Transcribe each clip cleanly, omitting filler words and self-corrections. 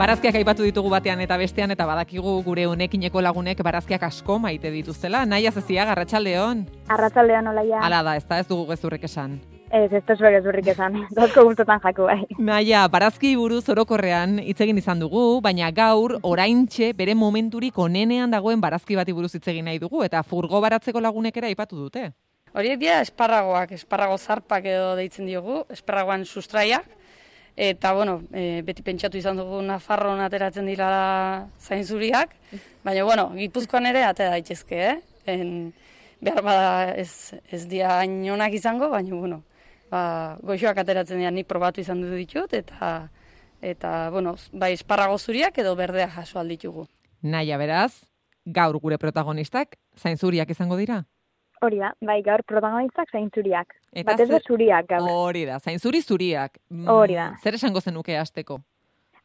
Barazkiak aipatu ditugu batean eta bestean, eta badakigu gure honekineko lagunek barazkiak asko maite dituztela. Naia Zeziaga, arratsaldeon. Arratsaldeon, Olaia. Hala da, ez dugu gezurrik esan. Ez dugu gezurrik esan, dozko gustotan jaku bai. Naia, barazki buruz orokorrean hitz egin izan dugu, baina gaur oraintxe bere momenturik onenean dagoen barazki bati buruz hitz egin nahi dugu, eta furgo baratzeko lagunek ere aipatu dute. Horiek dira esparragoak, esparrago zarpak edo deitzen diogu, esparragoan sustraiak. Eta, beti pentsatu izan dugu Nafarroan ateratzen dira zainzuriak, baina, Gipuzkoan ere atera daitezke, behar bada ez dira hain onak izango, baina, goxoak ateratzen dira, nik probatu izan ditut, eta bai esparrago zuriak edo berdeak jaso alditugu. Naia, beraz, gaur gure protagonistak zainzuriak izango dira? Hori da, bai, gaur protagonistak zainzuriak. Batez zuriak gaur. Hori da, zainzuri zuriak. Hori da. Zer esango zenuke hasteko?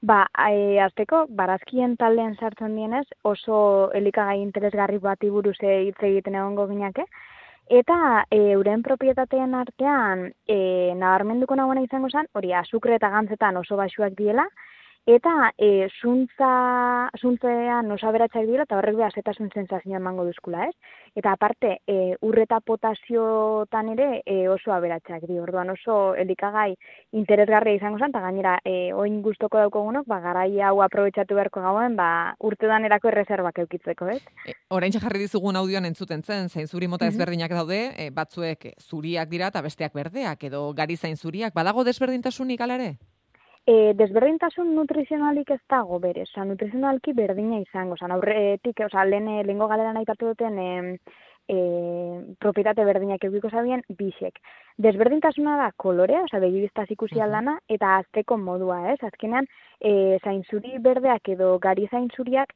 Hasteko, barazkien taldean sartzen dienez, oso elikagai interesgarri bati buruz hitz egiten egongo ginake. Eta euren propietateen artean nabarmenduko nagoena izango zen, hori azukre eta gantzetan oso baxuak diela, eta zuntzean oso aberatsak dira, eta horrek behazetasun sensazioa emango duzkula, ez? Eta aparte, ur eta potasiotan ere oso aberatsak dira, orduan oso elikagai interesgarria izango zen, eta gainera, oin gustoko daukogunok, garai hau aprobetxatu beharko gauen, urtedan erako erreserbak eukitzeko, ez? Oraintxe jarri dizugun audioan entzuten zen, zainzuri mota ezberdinak daude, batzuek zuriak dira eta besteak berdeak, edo gari zainzuriak, badago desberdintasunik ala ere? Desberdintasun nutrizionalik ez dago berez, nutrizionalki berdina izango, aurretik, lehengo galeran aipatu duten propietate berdinak eukiko zabien, bisek. Desberdintasuna da kolorea, begibiztaz ikusi aldana, eta azteko modua, ez? Azkenean, zainzuri berdeak edo gari zainzuriak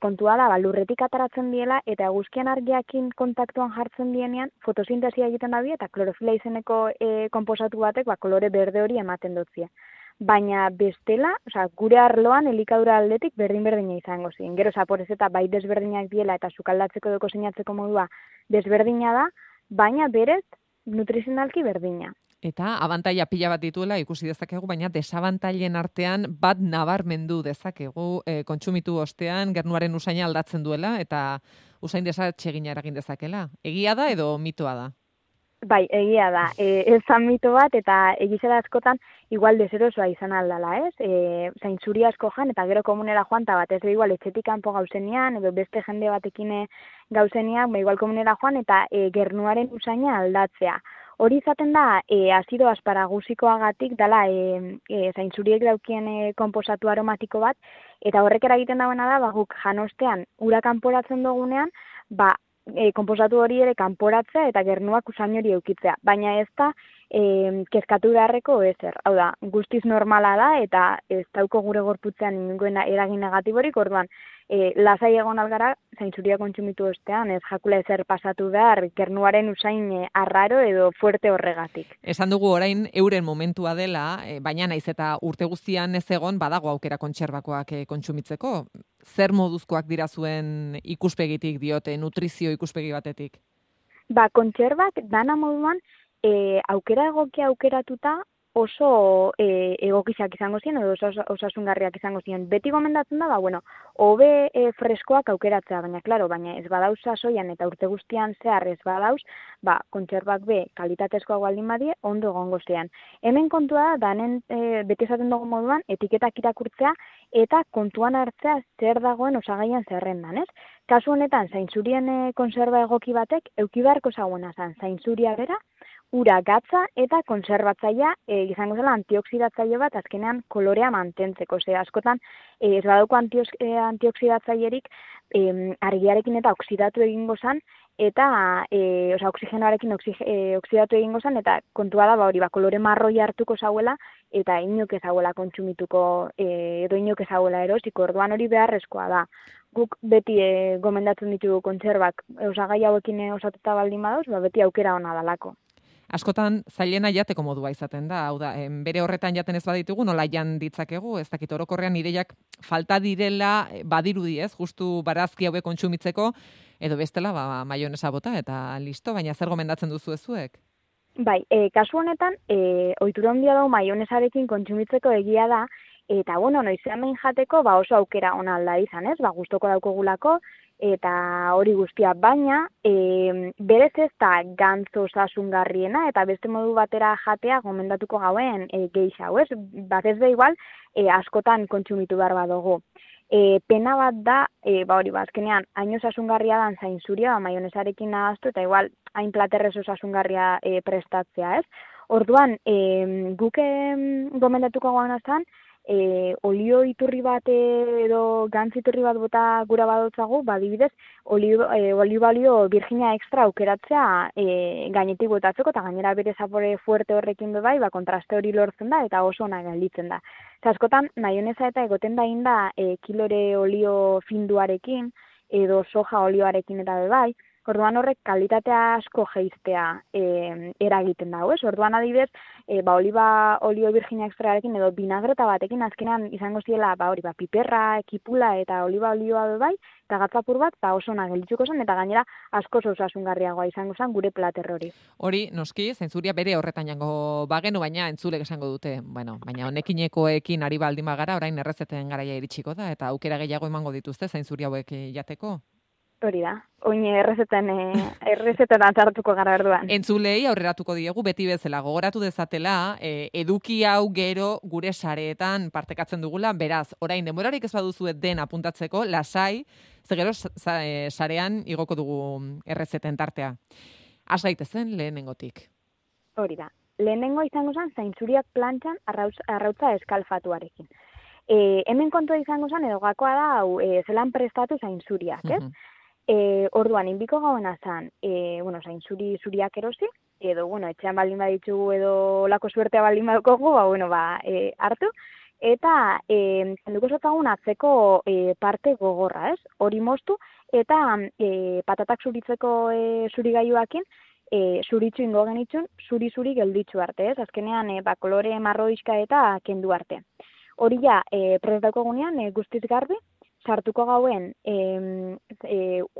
kontua da, lurretik ataratzen diela, eta eguzkian argiakin kontaktuan jartzen dienean, fotosintesia egiten da eta klorofila izeneko konposatu batek, kolore berde hori ematen dutzia. Baina bestela, gure arloan elikadura aldetik berdin-berdina izango ziren. Gero zaporez eta bai desberdinak diela eta sukaldatzeko edo koseinatzeko modua desberdina da, baina berez nutrizionalki berdina. Eta abantaila pila bat dituela ikusi dezakegu, baina desabantailen artean bat nabarmendu dezakegu kontsumitu ostean gernuaren usaina aldatzen duela eta usain desatsegina eragin dezakela. Egia da edo mitoa da? Bai, egia da. Ez zan mito bat eta egizela askotan igual deserosoa izan aldala, ez? Zainzuri asko jan eta gero komunera joan, eta batez igual etxetik kanpo gauzenian, edo beste jende batekin gauzenian, igual komunera joan eta gernuaren usaina aldatzea. Hori izaten da, azido asparagusikoagatik dala zainzuriek daukien konposatu aromatiko bat, eta horrek eragiten dagoena da, guk janostean ura kanporatzen dugunean, konposatu hori ere kanporatzea eta gernuak usain hori eukitzea. Baina ez da kezkatu beharreko ezer. Hau da, guztiz normala da eta ez dauko gure gorputzean ingoen eragin negatiborik, orduan lasai egon algara zainzuria kontsumitu ostean, ez jakula ezer pasatu behar gernuaren usain arraro edo fuerte horregatik. Esan dugu orain euren momentua dela, baina naiz eta urte guztian ez egon badago aukera kontserbakoak kontsumitzeko. Zer moduzkoak dira zuen ikuspegitik diote, nutrizio ikuspegi batetik? Kontserbak dana moduan aukera egokia aukeratuta oso egokizak izango ziren, edo osasungarriak izango ziren. Beti gomendatzen da, hobe freskoak aukeratzea, baina ez badauz sasoian eta urte guztian zehar ez badauz, kontserbak kalitatezkoak baldin badie, ondo egongo zean. Hemen kontua da, beti esaten dugu moduan, etiketak irakurtzea eta kontuan hartzea zer dagoen osagaian zerrendan, ez? Kasu honetan, zainzurien konserba egoki batek, euki beharko zagoena zen, zainzuria bera, ura gatza eta konserbatzailea izango zela antioksidatzaile bat azkenean kolorea mantentzeko. Askotan ez badauko antioksidatzailerik argiarekin eta oksidatu egingo zen, eta oxigenoarekin oksidatu egingo zen, eta kontua da, kolore marroi hartuko zauela, eta inok ezauela kontsumituko edo inok ezauela erosiko, orduan hori beharrezkoa da. Guk beti gomendatzen ditugu kontserbak osagai hauekin osatuta baldin badauz, beti aukera ona dalako. Askotan zailena jateko modua izaten da, hau da, bere horretan jaten ez baditugu, nola jan ditzakegu, ez dakit orokorrean ideiak falta direla badirudi, ez, justu barazki hauek kontsumitzeko, edo bestela, maionesa bota eta listo, baina zer gomendatzen duzu ezuek? Bai, kasu honetan, ohitura handia dago maionesarekin kontsumitzeko egia da, Eta, bueno, noizean behin jateko, oso aukera ona alda izan, ez? Gustoko daukogulako, eta hori guztia, baina berez ez da gantz osasungarriena, eta beste modu batera jatea gomendatuko gauen geisha, ez? Batez be igual, askotan kontsumitu behar badugu. Pena bat da, azkenean, hain osasungarria dan zainzuria, maionesarekin nahaztu, eta igual, hain platerrez osasungarria prestatzea, ez? Orduan, guk gomendatuko gauna zan, olio iturri bat edo gantz iturri bat bota gura badotzagu, adibidez, olio virginia extra aukeratzea gainetik botatzeko, eta gainera bere zapore fuerte horrekin bai, kontraste hori lortzen da, eta oso ona gelditzen da. Askotan, maionesa eta egoten da inda kilore olio finduarekin, edo soja olioarekin eta bai, orduan horrek kalitatea asko jeiztea eragiten dago, ez? Orduan adibidez, oliba olio virginia extrarekin edo vinagreta batekin azkenan izango ziela, piperra, kipula eta oliba olioa bai, eta gatzapur bat, oso ona geldituko zen, eta gainera asko osasungarriagoa izango zen gure plater hori. Hori, noski, zaintzuria bere horretan jango bagenu, baina entzulek esango dute, baina honekinekoekin ari baldin bagara, orain errezeten garaia iritsiko da, eta aukera gehiago emango dituzte zaintzuria hauek jateko. Hori da, oin errezetan atzartuko gara erduan. Entzulei aurreratuko diegu beti bezala gogoratu dezatela, eduki hau gero gure sareetan partekatzen dugula, beraz, orain denborarik ez baduzu den apuntatzeko, lasai, ze gero sarean igoko dugu errezeten tartea. Has gaitezen lehenengotik. Hori da, lehenengo izango zen zaintzuriak plantxan arrautza eskalfatuarekin. Hemen kontua izango zen edo gakoa da, zelan prestatu zaintzuriak, ez? Orduan, inbiko gauen azan, zaintzuri zuriak erosi, edo, etxean baldin baditzugu edo lako suertea baldin badukogu, hartu, eta zenduko zotzagun atzeko parte gogorra, ez? Hori moztu, eta patatak zuritzeko zurigailuakin, zuritzu ingo genitzun, zuri gelditzu arte, ez? Azkenean, kolore marroizka eta kendu arte. Hori ja, prest daukogunean, guztiz garbi, sartuko gauen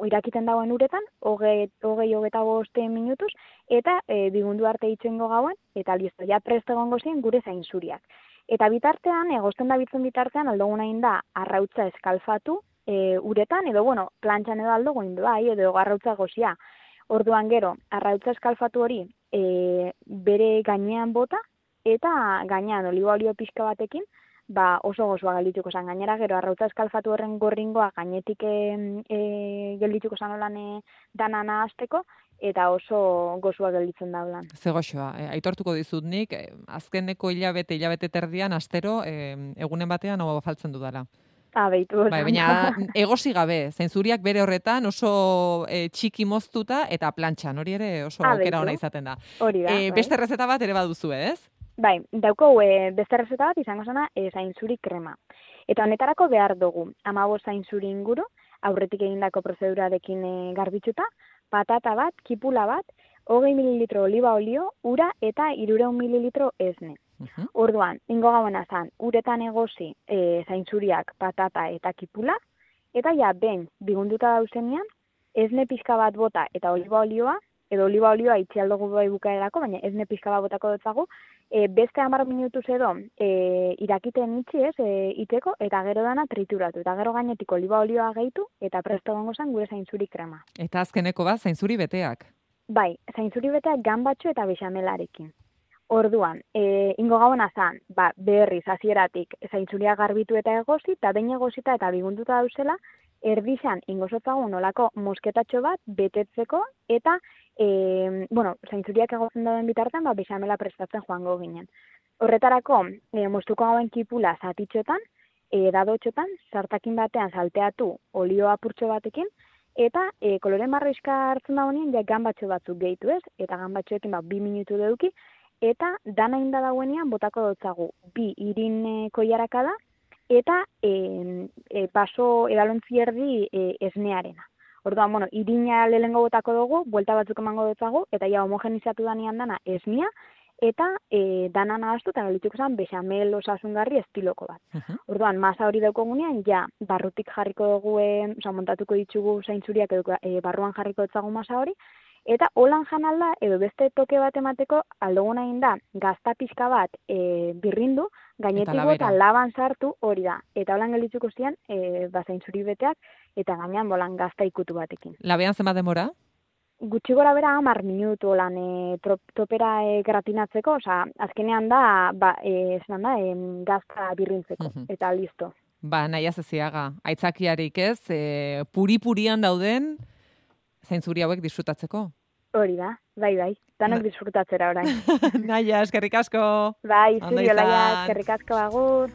irakiten dagoen uretan, hogeta boste minutuz, eta bigundu arte itxengo gauen, eta listo, ja prest egongo zien gure zainzuriak. Eta bitartean, egosten da bitzen bitartean, aldogun hain da, arrautza eskalfatu uretan, edo, plantxan edo aldogun bai, edo arrautza gozia. Orduan gero, arrautza eskalfatu hori bere gainean bota, eta gainean oliba olio pixka batekin, oso gozoa geldituko zen. Gainera gero, arrautza eskalfatu horren gorringoa gainetik geldituko zen olan dana nahazteko, eta oso gozoa gelditzen da olan. Ze goxoa, aitortuko dizut nik, azkeneko hilabete terdian, astero, egunen batean faltzen dudala. Beitu. Baina egosi gabe, zainzuriak bere horretan oso txiki moztuta eta plantxan, hori ere oso aukera ona izaten da. Hori da. Beste errezeta bat ere baduzu, ez? Bai, dauko beste errezeta bat izango zena zainzuri krema. Eta honetarako behar dugu, 15 zainzuri inguru, aurretik egindako prozedurarekin garbitzuta, patata bat, kipula bat, 20 mililitro oliba olio, ura eta 300 mililitro esne. Orduan, ingo gauen azan, uretan egosi zainzuriak, patata eta kipula, eta ja, ben, bigunduta dauzenean, esne pixka bat bota eta oliba olioa, edo oliba olioa itxialdugu bai bukaerako, baina esne pixka bat botako dutzagu, beste 10 minutuz edo irakiten itxi ez, iteko, eta gero dana trituratu, eta gero gainetik oliba olioa gehitu, eta presto gongo zen gure zainzuri krema. Eta azkeneko bat, zainzuri beteak? Bai, zainzuri beteak ganbatxo eta bexamelarekin. Orduan, ingo gauen azan, berriz, hasieratik zaintzuria garbitu eta egosi, eta behin egosita eta bigunduta dauzela, erdizan ingozotzagun olako mosketatxo bat betetzeko, eta, zaintzuriak egotzen dauden bitartean, bexamela prestatzen joango ginen. Horretarako, moztuko gauen kipula zatitxotan, dadotxotan, sartakin batean salteatu olio apurtxo batekin, eta kolore marroizka hartzen da honien, ja ganbatxo batzuk gehitu ez, eta ganbatxoekin 2 minutu deuki, eta dana inda dauenean botako dutzagu 2 irin koiarakada, eta baso edalontzi erdi esnearena. Orduan, irina lehengo botako dugu, buelta batzuk emango dutzagu, eta ja homogenizatu danean dana esnia, eta dana nahaztu eta galituko zen bexamel osasungarri estiloko bat. Orduan, masa hori daukogunean, ja, barrutik jarriko dugu, montatuko ditugu zaintzuriak edo barruan jarriko dutzagu masa hori, Eta holan janalda, edo beste toke bat emateko, aldoguna egin da, gazta pixka bat birrindu, gainetiko eta laban sartu hori da. Eta holan gelditzuko zian, bazain zuri beteak, eta gainean bolan gazta ikutu batekin. Labean zenbat demora? Gutxi gora bera 10 minutu lan topera gratinatzeko, osea, azkenean da, gazta birrintzeko, eta listo. Ba, nahiaz eziaga, aitzakiarik ez, puri-purian dauden zainzuri hauek disfrutatzeko. Hori da, bai, danok disfrutatzera orain. Naia, eskerrik asko. Bai, zuri olaia, eskerrik asko, agur.